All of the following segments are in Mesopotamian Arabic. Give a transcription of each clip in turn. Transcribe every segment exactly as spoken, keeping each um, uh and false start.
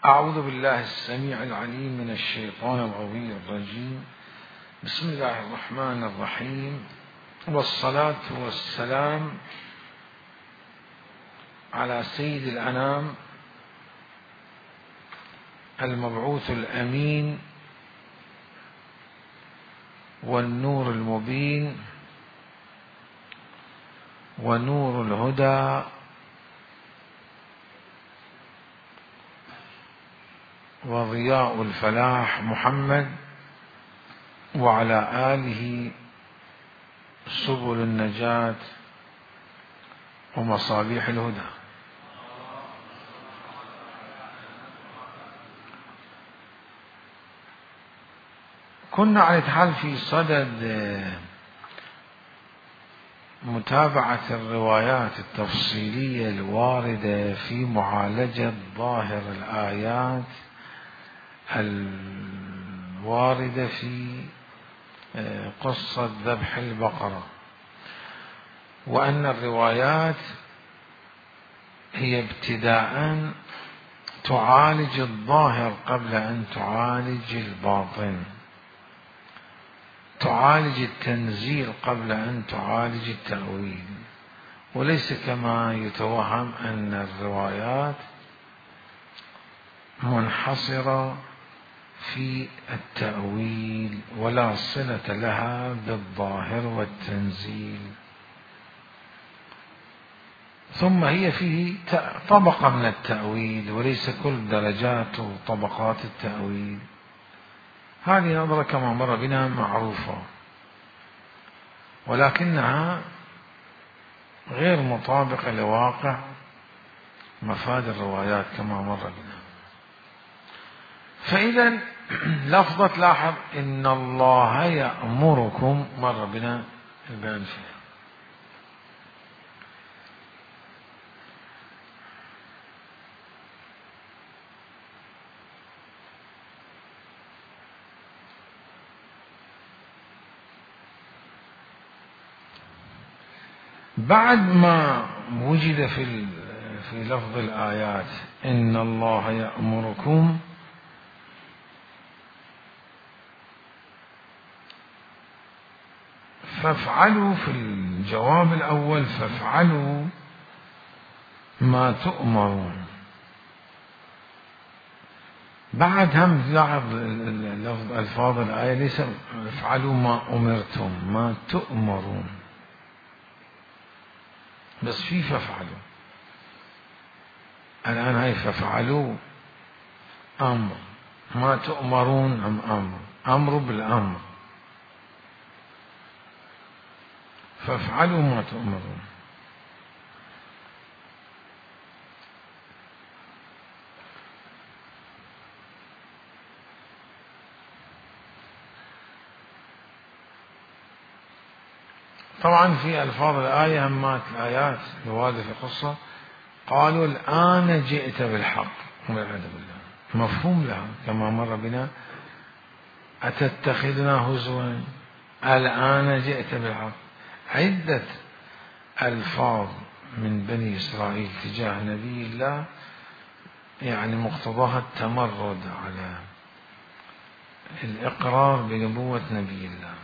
أعوذ بالله السميع العليم من الشيطان الغوي الرجيم. بسم الله الرحمن الرحيم، والصلاة والسلام على سيد الأنام المبعوث الأمين والنور المبين ونور الهدى وضياء الفلاح محمد، وعلى آله سبل النجاة ومصابيح الهدى. كنا على الحال في صدد متابعة الروايات التفصيلية الواردة في معالجة ظاهر الآيات الواردة في قصة ذبح البقرة، وأن الروايات هي ابتداء تعالج الظاهر قبل أن تعالج الباطن، تعالج التنزيل قبل أن تعالج التأويل، وليس كما يتوهم أن الروايات منحصرة في التأويل ولا صلة لها بالظاهر والتنزيل. ثم هي فيه طبقة من التأويل وليس كل درجات وطبقات التأويل. هذه نظرة كما مر بنا معروفة، ولكنها غير مطابقة لواقع مفاد الروايات كما مر بنا. فإذا لفظة لاحظ إن الله يأمركم مر بنا البيان فيها. بعد ما وجد في في لفظ الآيات إن الله يأمركم، فافعلوا في الجواب الأول فافعلوا ما تؤمرون. بعد هم لاحظ ألفاظ الآية ليس افعلوا ما أمرتم، ما تؤمرون، بس في فافعلوا. الآن هاي فافعلوا أمر، ما تؤمرون أم أمر، أمر بالأمر، فافعلوا ما تؤمرون. طبعا في ألفاظ الآية همات الآيات الواردة في القصة قالوا الآن جئت بالحق والعياذ بالله، مفهوم لها كما مر بنا أتتخذنا هزوا، الآن جئت بالحق. عدة ألفاظ من بني إسرائيل تجاه نبي الله يعني مقتضاها التمرد على الإقرار بنبوة نبي الله.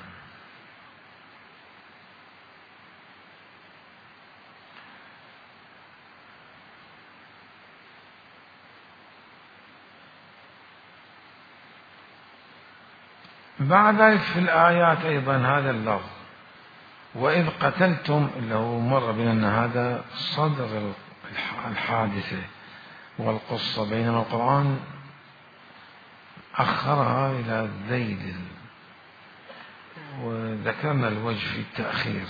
بعد ذلك في الآيات أيضا هذا اللفظ وإذ قتلتم، اللي هو مر بنا أن هذا صدر الحادثة والقصة، بينما القرآن أخرها إلى الذيل، وذكرنا الوجه في التأخير،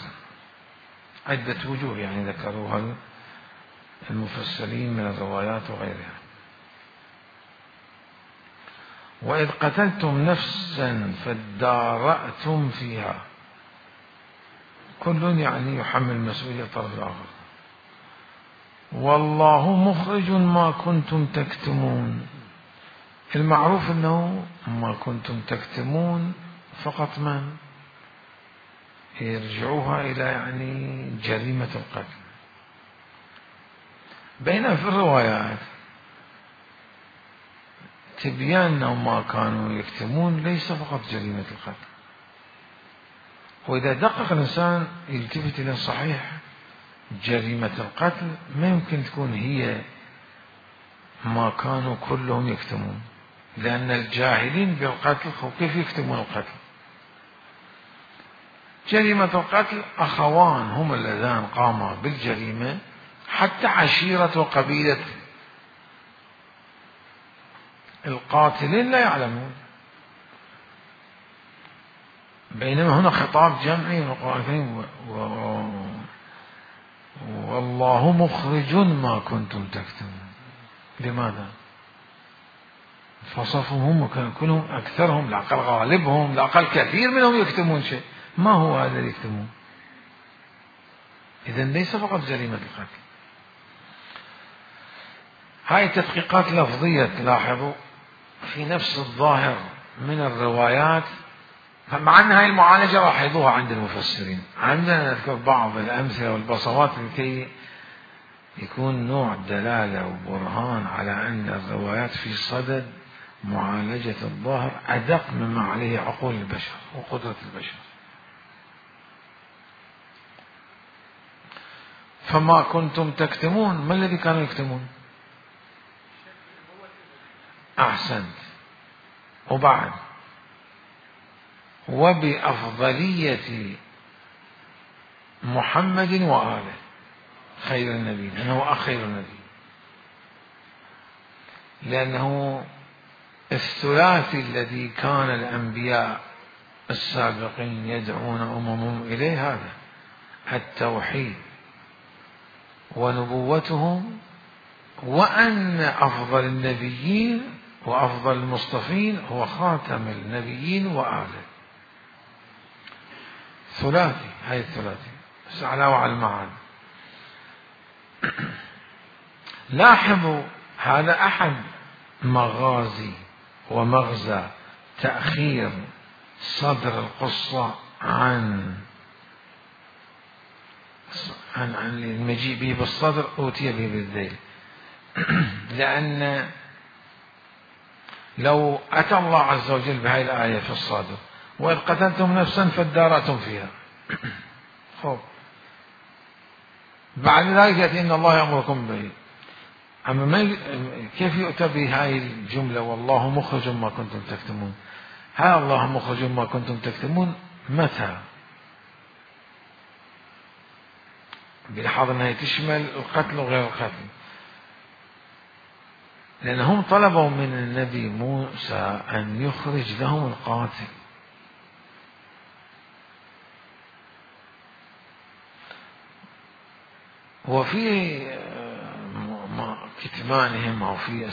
عدة وجوه يعني ذكروها المفسرين من الروايات وغيرها. وإذ قتلتم نفسا فادارأتم فيها، كل يعني يحمل مسؤولية الطرف الآخر. والله مخرج ما كنتم تكتمون، المعروف أنه ما كنتم تكتمون فقط من يرجعوها إلى يعني جريمة القتل. بينما في الروايات تبيان أنهم ما كانوا يكتمون ليس فقط جريمة القتل. وإذا دقق الإنسان يلتفت إلى صحيح جريمة القتل ما يمكن تكون هي ما كانوا كلهم يكتمون، لأن الجاهلين بالقتل كيف يكتمون القتل؟ جريمة القتل أخوان هم اللذان قاما بالجريمة، حتى عشيرة وقبيلة القاتلين لا يعلمون، بينما هنا خطاب جمعي من القرآن الكريم والله مخرج ما كنتم تكتمون. لماذا؟ فصفهم هم كلهم أكثرهم، الأقل غالبهم، الأقل كثير منهم يكتمون شيء. ما هو هذا اللي يكتمون؟ إذن ليس فقط جريمة القتل. هاي تدقيقات لفظية تلاحظوا في نفس الظاهر من الروايات، مع أن هاي المعالجة لاحظوها عند المفسرين. عندنا نذكر بعض الأمثلة والبصمات لكي يكون نوع دلالة وبرهان على أن الروايات في صدد معالجة الظاهر أدق مما عليه عقول البشر وقدرة البشر. فما كنتم تكتمون، ما الذي كانوا يكتمون؟ أحسنت. وبعد وبأفضلية محمد وآله خير النبي، لأنه أخير النبي، لأنه الثلاثي الذي كان الأنبياء السابقين يدعون أممهم إليه هذا التوحيد ونبوتهم، وأن أفضل النبيين وأفضل المصطفين هو خاتم النبيين وآله. ثلاثي، هاي الثلاثي بس على وعلى المعاد. لاحظوا هذا أحد مغازي ومغزى تأخير صدر القصة عن عن عن المجيء به بالصدر أوتي به بالذيل. لأن لو أتى الله عز وجل بهذه الآية في الصادر وإذ قتلتم نفسا فادارأتم فيها، خب بعد ذلك يأتي إن الله يأمركم به، أما ما كيف يؤتى بهذه الجملة والله مخرج ما كنتم تكتمون؟ ها الله مخرج ما كنتم تكتمون متى؟ بلاحظ أنها تشمل القتل وغير القتل، لأنهم طلبوا من النبي موسى أن يخرج لهم القاتل، وفي كتمانهم أو في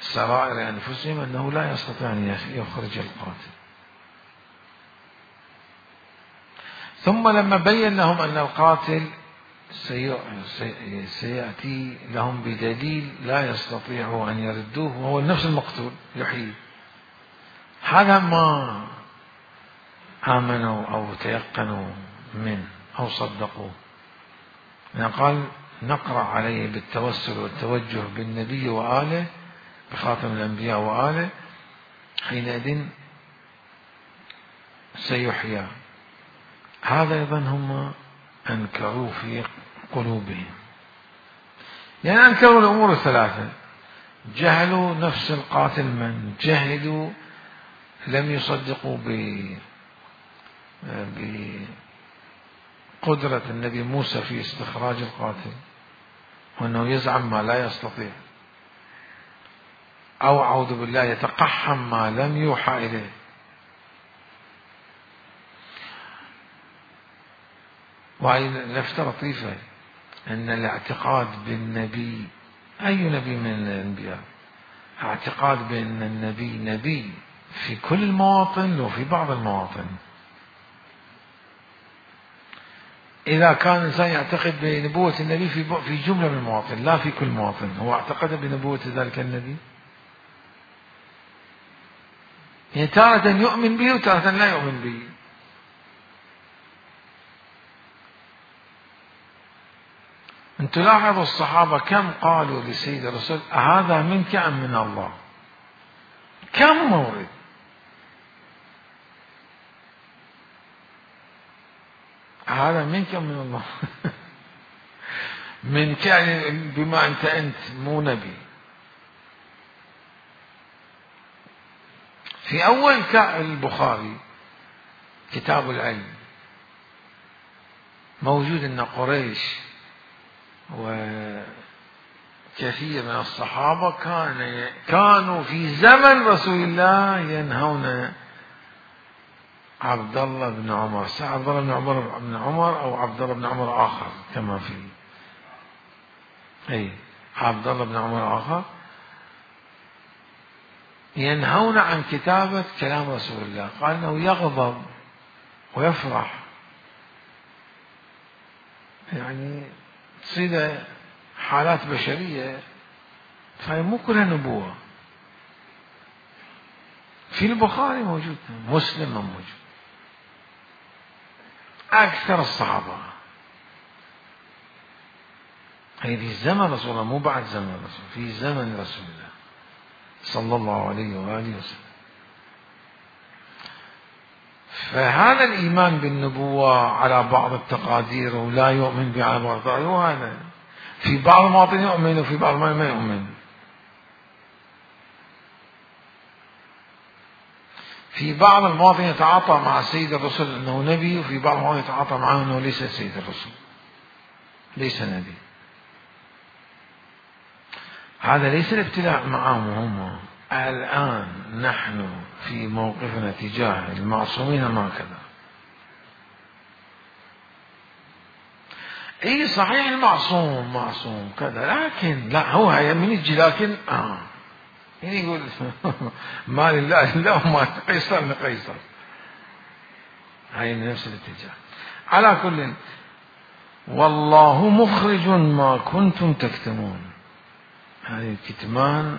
سرائر أنفسهم أنه لا يستطيع أن يخرج القاتل. ثم لما بين لهم أن القاتل سيأتي لهم بدليل لا يستطيعوا أن يردوه وهو نفس المقتول يحيي، هذا ما آمنوا أو تيقنوا منه أو صدقوه. يعني قال نقرأ عليه بالتوسل والتوجه بالنبي وآله بخاتم الأنبياء وآله حينئذ سيحيى. هذا أيضا هم أنكروا في قلوبهم، يعني أنكروا الأمور الثلاثة، جهلوا نفس القاتل من، جهلوا لم يصدقوا بقدرة النبي موسى في استخراج القاتل وأنه يزعم ما لا يستطيع، أو أعوذ بالله يتقحم ما لم يوحى إليه. وهي لفتة لطيفة أن الاعتقاد بالنبي، أي نبي من الأنبياء، اعتقاد بأن النبي نبي في كل مواطن وفي بعض المواطن. إذا كان الإنسان يعتقد بنبوة النبي في في جملة من المواطن لا في كل مواطن، هو اعتقد بنبوة ذلك النبي، يعني تارة يؤمن به وتارة لا يؤمن به. أن تلاحظوا الصحابة كم قالوا لسيد الرسول هذا منك أم من الله؟ كم مورد. هذا منك من الله. منك يعني بما أنت أنت مو نبي. في أول البخاري كتاب العلم موجود أن قريش وكثير من الصحابة كان كانوا في زمن رسول الله ينهون عبد الله بن عمر، عبد الله بن عمر بن عمر أو عبد الله بن عمر آخر كما في أي عبد الله بن عمر آخر ينهون عن كتابة كلام رسول الله. قال أنه يغضب ويفرح، يعني تصير حالات بشرية، فهي مو كلها نبوة. في البخاري موجود، مسلم موجود، أكثر الصحابة هي في زمن رسول الله، مو بعد زمن رسول، في زمن رسول الله صلى الله عليه وآله وسلم. فهذا الإيمان بالنبوة على بعض التقادير ولا يؤمن بها بعض التقادير، وهذا في بعض المواطن يؤمن وفي بعض ما يؤمن. في بعض المواطن يتعاطى مع سيد الرسول أنه نبي، وفي بعض المواطن يتعاطى معه أنه ليس سيد الرسول، ليس نبي. هذا ليس الابتلاء معهم هم. الآن نحن في موقفنا تجاه المعصومين ما كذا. اي صحيح المعصوم معصوم كذا، لكن لا هو من يجي لكن اه يعني يقول ما لله الا وما قيصر لقيصر. هاي نفس الاتجاه. على كل، والله مخرج ما كنتم تكتمون. هذه الكتمان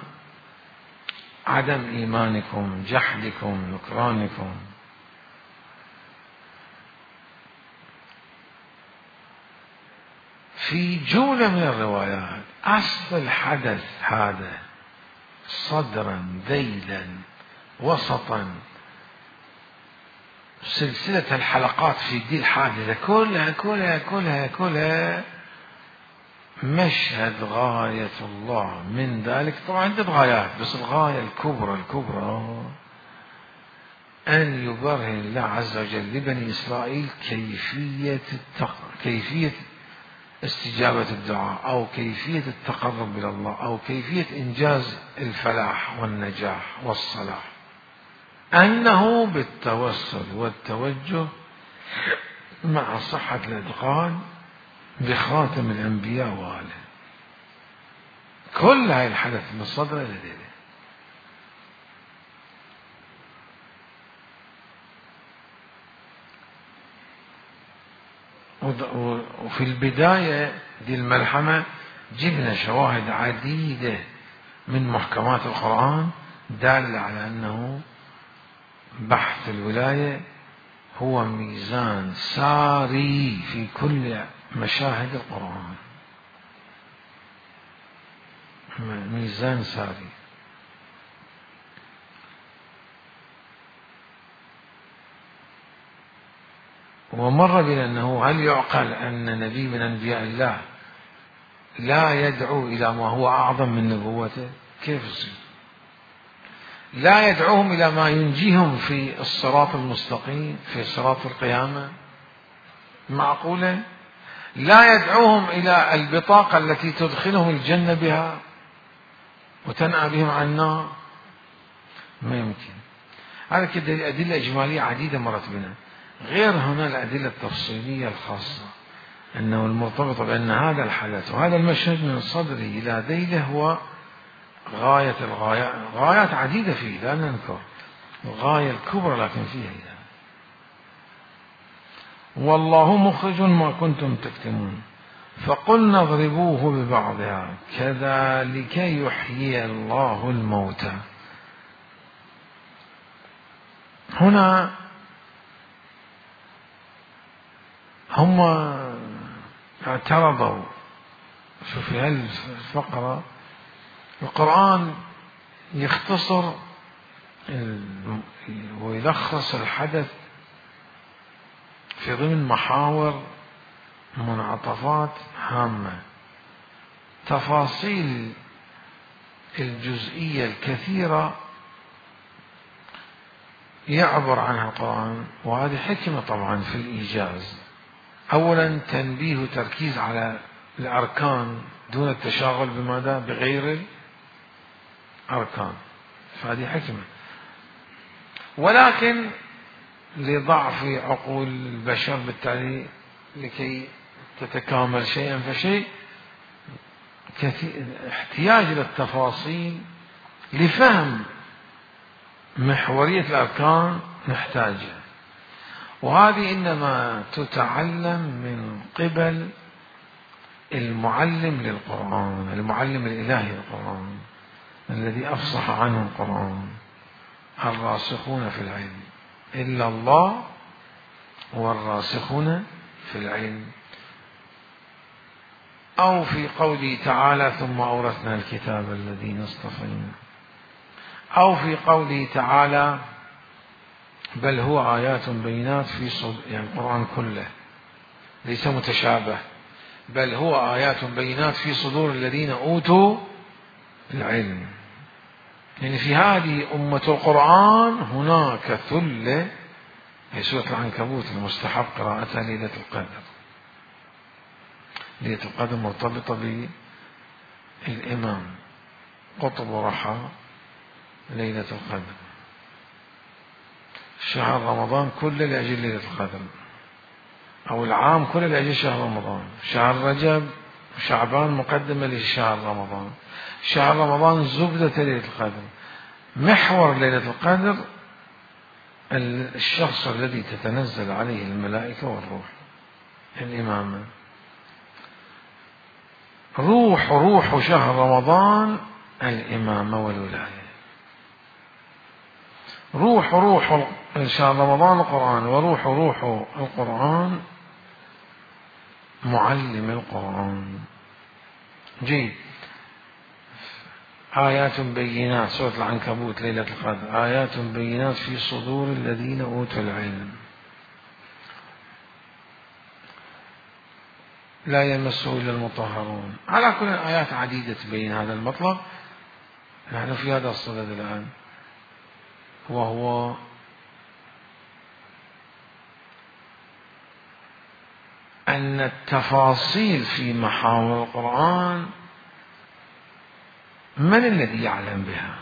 عدم إيمانكم، جحدكم، نكرانكم. في جملة من الروايات أصل الحدث هذا صدرا ذيلا وسطا، سلسلة الحلقات في دي الحادثة كلها كلها كلها كلها مشهد غاية الله من ذلك. طبعا عدة غايات، بس الغاية الكبرى الكبرى أن يبرهن الله عز وجل لبني إسرائيل كيفية التق... كيفية استجابة الدعاء، أو كيفية التقرب إلى الله، أو كيفية إنجاز الفلاح والنجاح والصلاح، أنه بالتوسل والتوجه مع صحة الإتقان بخاتم الأنبياء وآله. كل هاي الحدث من الصدر إلى الليلة. وفي البداية دي الملحمة جبنا شواهد عديدة من محكمات القرآن دالة على أنه بحث الولاية هو ميزان ساري في كل مشاهد القرآن، ميزان ساري. ومر بنا أنه هل يعقل أن نبي من أنبياء الله لا يدعو إلى ما هو أعظم من نبوته؟ كيف يصير؟ لا يدعوهم إلى ما ينجيهم في الصراط المستقيم في صراط القيامة؟ معقولة؟ لا يدعوهم إلى البطاقة التي تدخلهم الجنة بها وتنأى بهم عن النار؟ ما يمكن. هذا كده أدلة إجمالية عديدة مرت بنا، غير هنا الأدلة التفصيلية الخاصة أنه المرتبط بأن هذا الحدث وهذا المشهد من صدره إلى ذيله هو غاية الغايات. غايات عديدة فيه لا ننكر، الغاية الكبرى لكن فيها إذا. والله مخرج ما كنتم تكتمون فقلنا اضربوه ببعضها كذلك يحيي الله الموتى. هنا هم اعترضوا. شوف في هالفقرة القرآن يختصر ويلخص الحدث في ضمن محاور منعطفات هامة. تفاصيل الجزئية الكثيرة يعبر عنها القرآن، وهذه حكمة طبعا في الإيجاز. أولا تنبيه وتركيز على الأركان دون التشاغل بماذا؟ بغير الأركان، فهذه حكمة. ولكن لضعف عقول البشر بالتالي لكي تتكامل شيئا فشيء احتياج إلى التفاصيل لفهم محورية الأركان نحتاجها، وهذه إنما تتعلم من قبل المعلم للقرآن، المعلم الإلهي للقرآن الذي أفصح عنه القرآن. الراسخون في العلم إلا الله والراسخون في العلم. أو في قوله تعالى ثم أورثنا الكتاب الذين اصطفينا، أو في قوله تعالى بل هو آيات بينات في صدور، يعني القرآن كله ليس متشابه، بل هو آيات بينات في صدور الذين أوتوا العلم. يعني في هذه أمة القرآن هناك ثلة، في سورة العنكبوت المستحب قراءتها ليلة القدر. ليلة القدر مرتبطة بالإمام قطب رحى ليلة القدر. شهر رمضان كله لأجل ليلة القدر، أو العام كله لأجل شهر رمضان. شهر رجب وشعبان مقدمة لشهر رمضان، شهر رمضان زبدة ليلة القدر. محور ليلة القدر الشخص الذي تتنزل عليه الملائكة والروح، الإمامة. روح روح شهر رمضان الإمامة والولاية. روح روح شهر رمضان القرآن، وروح روح القرآن معلم القرآن. جيد. آيات بينات سورة العنكبوت ليلة القدر، آيات بينات في صدور الذين أوتوا العلم لا يمسه إلا المطهرون. على كل آيات عديدة تبين هذا المطلب. نحن في هذا الصدد الآن، وهو أن التفاصيل في محاور القرآن من الذي يعلم بها؟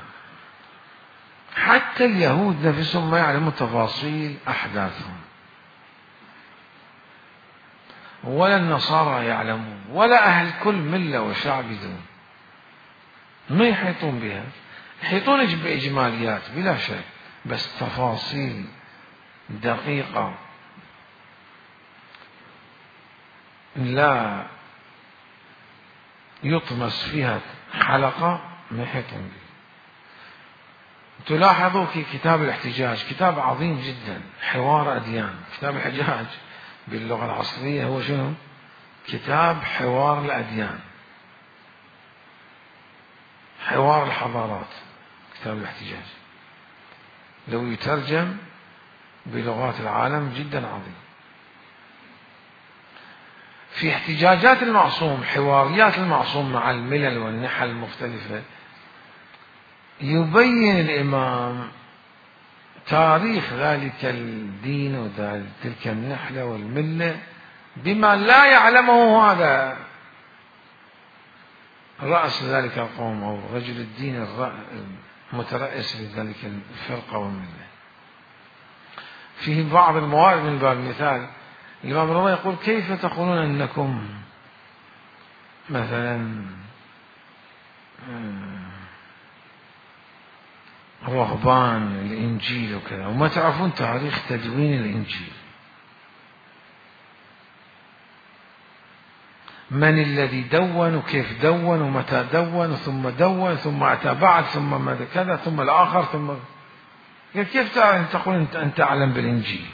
حتى اليهود نفسهم ما يعلمون تفاصيل أحداثهم، ولا النصارى يعلمون، ولا أهل كل ملة وشعب دون ما يحيطون بها. يحيطون بإجماليات بلا شك، بس تفاصيل دقيقة لا يطمس فيها حلقة ما يحيطون بها. تلاحظوا في كتاب الاحتجاج، كتاب عظيم جدا، حوار أديان. كتاب الاحتجاج باللغة العصرية هو شنو؟ كتاب حوار الأديان، حوار الحضارات. كتاب الاحتجاج لو يترجم بلغات العالم جدا عظيم. في احتجاجات المعصوم، حواريات المعصوم مع الملل والنحل المختلفة، يبين الإمام تاريخ ذلك الدين وتلك النحلة والملة بما لا يعلمه هذا رأس ذلك القوم أو رجل الدين المترأس لذلك الفرقة والملة. فيه بعض الموارد من باب المثال، الإمام الرضا يقول كيف تقولون أنكم مثلا رهبان الإنجيل وكذا وما تعرفون تاريخ تدوين الإنجيل؟ من الذي دون وكيف دون ومتى دون ثم دون ثم أتى بعد ثم ماذا كذا ثم الآخر ثم كيف تقول أن تعلم بالإنجيل؟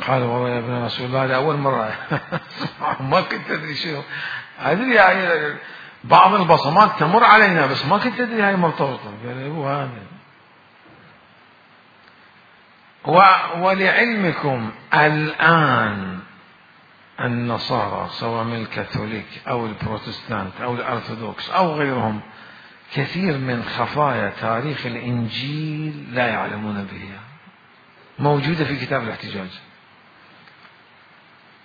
قال والله يا ابن رسول الله هذا أول مرة ما كنت أدري شنو أدري يعني بعض البصمات تمر علينا بس ما كنت أدري هاي مرتبطة. قال هو هذا. ولعلمكم الآن النصارى سواء من الكاثوليك أو البروتستانت أو الأرثوذكس أو غيرهم كثير من خفايا تاريخ الإنجيل لا يعلمون بها، موجودة في كتاب الاحتجاج.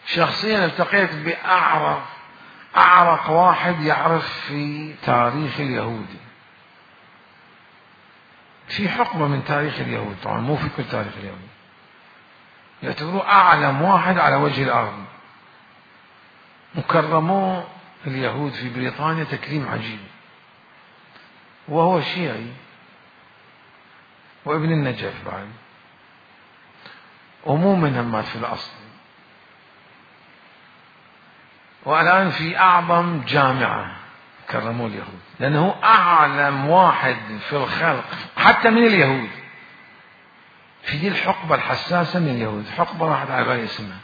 شخصيا التقيت بأعرق أعرق واحد يعرف في تاريخ اليهود، في حقبة من تاريخ اليهود، طبعا مو في كل تاريخ اليهود، يعتبروه أعلم واحد على وجه الأرض. وكرموه اليهود في بريطانيا تكريم عجيب، وهو شيعي وابن النجف بعد، ومو منهم مات في الأصل، والآن في أعظم جامعة كرموه اليهود، لأنه أعلم واحد في الخلق حتى من اليهود في دي الحقبة الحساسة من اليهود. حقبة راحت على بالي اسمها،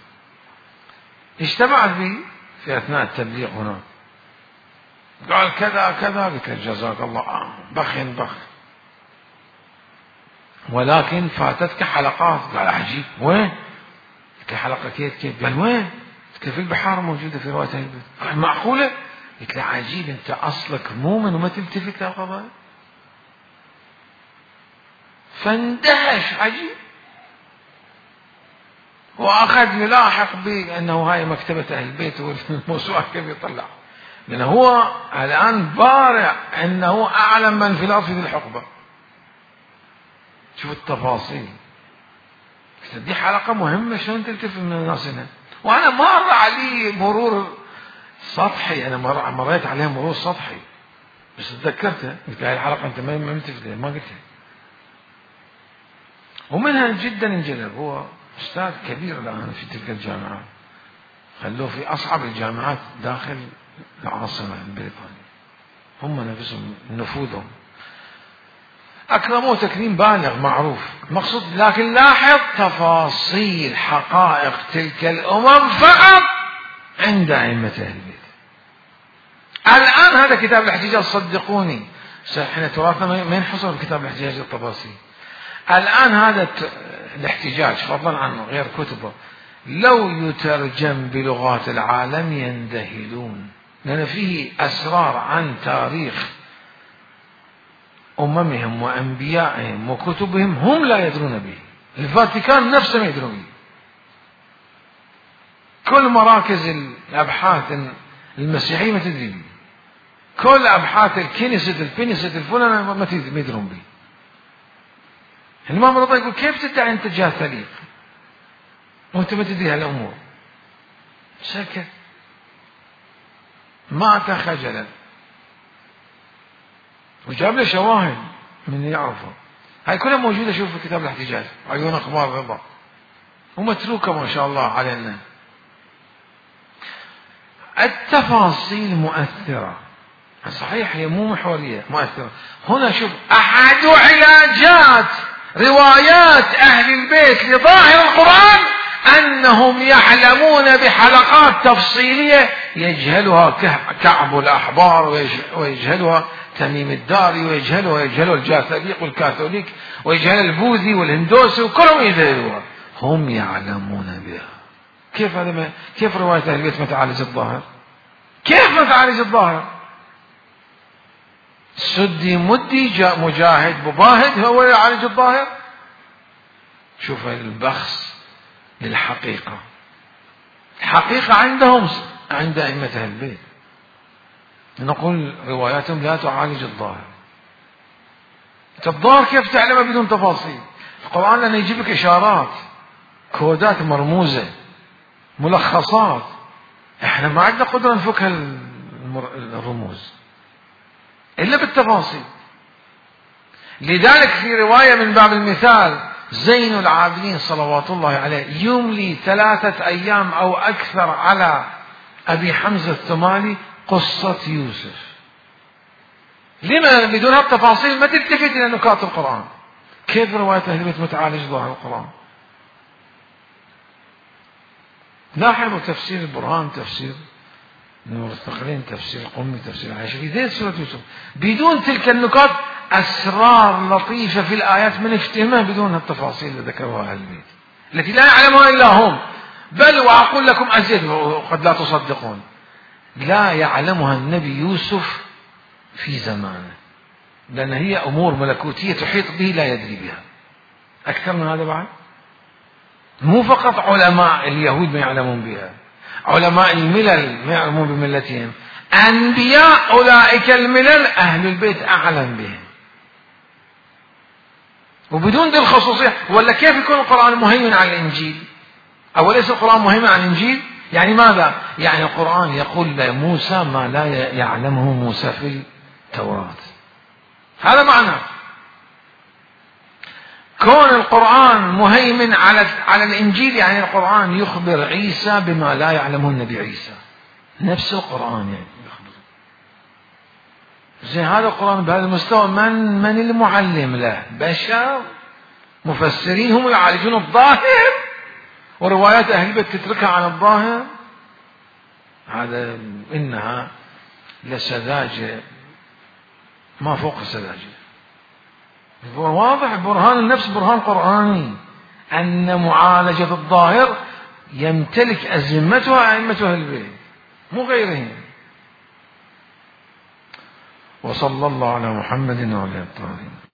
اجتمعت بي في أثناء التبليغ هناك، قال كذا كذا، قلت له جزاك الله بخ بخ، ولكن فاتتك حلقات. قال عجيب، وين؟ قلت له حلقة كيف كيف؟ قال وين؟ قلت له في البحار موجودة في رواية البيت. قال معقولة؟ قلت له عجيب، أنت أصلك مؤمن وما تلتفت للقضايا. فاندهش عجيب، وأخذ يلاحق بأنه هاي مكتبة أهل البيت والموسوعة كيف يطلع، لأنه هو الآن بارع أنه أعلم من في الأرض في الحقبة. شوف التفاصيل. دي حلقة مهمة، شلون تلتفت من الناس هنا؟ وأنا مر علي مرور سطحي، أنا مر مريت عليها مرور سطحي بس تذكرتها، قلت هاي الحلقة أنت ما ملتفت لها، ما قلتها. ومنها جدا انجذب، هو أستاذ كبير الآن في تلك الجامعات، خلوه في أصعب الجامعات داخل العاصمة البريطانية، هم نفسهم نفوذهم أكرموه تكريم بالغ معروف مقصود. لكن لاحظ تفاصيل حقائق تلك الأمم فقط عند أئمة أهل البيت. الآن هذا كتاب الاحتجاج، صدقوني احنا تراثنا ما ينحصر في كتاب الاحتجاج الطباسي. الآن هذا الاحتجاج فضلا عن غير كتبه لو يترجم بلغات العالم يندهلون، لأن فيه أسرار عن تاريخ أممهم وأنبيائهم وكتبهم هم لا يدرون به، الفاتيكان نفسه ما يدرون به، كل مراكز الأبحاث المسيحية ما تدري به، كل أبحاث الكنيسة البنيسة الفلانة ما يدرون به. الإمام رضا يقول كيف تدعي أنت جاه ثليق وأنت ما تدري هالأمور؟ سكت، مات خجلا، وجاب له شواهد من يعرفه. هاي كلها موجودة، شوف في كتاب الاحتجاج، عيون أخبار رضا، ومتروكة ما شاء الله علينا. التفاصيل مؤثرة صحيح، هي مو محورية، مؤثرة. هنا شوف أحد علاجات روايات أهل البيت لظاهر القرآن أنهم يعلمون بحلقات تفصيلية يجهلها كعب الأحبار ويجهلها تميم الداري ويجهلها ويجهلها الجاثليق والكاثوليك ويجهلها البوذي والهندوسي وكلهم يجهلوها، هم يعلمون بها. كيف هذا ما كيف رواية أهل البيت ما تعالج الظاهر؟ كيف ما تعالج الظاهر؟ سدي مدي جاء مجاهد مباهد هو يعالج الظاهر. شوف البخس للحقيقة، الحقيقة عندهم عند أئمة أهل البيت، نقول رواياتهم لا تعالج الظاهر. الظاهر كيف تعلمه بدون تفاصيل؟ القرآن لأنه يجيب لك إشارات، كودات مرموزة، ملخصات، احنا ما عندنا قدرة نفك الرموز إلا بالتفاصيل. لذلك في رواية من باب المثال زين العابدين صلوات الله عليه يملي ثلاثة أيام أو أكثر على أبي حمزة الثمالي قصة يوسف. لما بدون هالتفاصيل ما تلتفت إلى نكات القرآن؟ كيف رواية أهل البيت متعالج ظاهر القرآن؟ لاحظوا تفسير البرهان، تفسير المستقلين تفسير القمي تفسير العاشري ذي سورة يوسف بدون تلك النقاط أسرار لطيفة في الآيات من افتهمها بدون التفاصيل اللي ذكروها أهل البيت التي لا يعلمها إلا هم، بل وأقول لكم أزيد وقد لا تصدقون، لا يعلمها النبي يوسف في زمانه، لأن هي أمور ملكوتية تحيط به لا يدري بها. أكثر من هذا بعد مو فقط علماء اليهود ما يعلمون بها، علماء الملل ما يعلمون بملتهم، أنبياء أولئك الملل أهل البيت أعلم بهم. وبدون ذي الخصوصية ولا كيف يكون القرآن مهيمن على الإنجيل؟ أوليس القرآن مهيمن على الإنجيل؟ يعني ماذا؟ يعني القرآن يقول لموسى ما لا يعلمه موسى في التوراة. هذا معنى كون القرآن مهيمن على على الإنجيل، يعني القرآن يخبر عيسى بما لا يعلمه النبي عيسى، نفس القرآن يعني يخبر. زين هذا القرآن بهذا المستوى من من المعلم له؟ بشر مفسرين هم يعالجون الظاهر وروايات أهل البيت تتركها عن الظاهر. هذا إنها لسذاجة ما فوق السذاجة. واضح برهان النفس برهان قرآني أن معالجة الظاهر يمتلك أزمتها أئمة أهل البيت مو غيرهم. وصلى الله على محمد وعلى آله الطاهرين.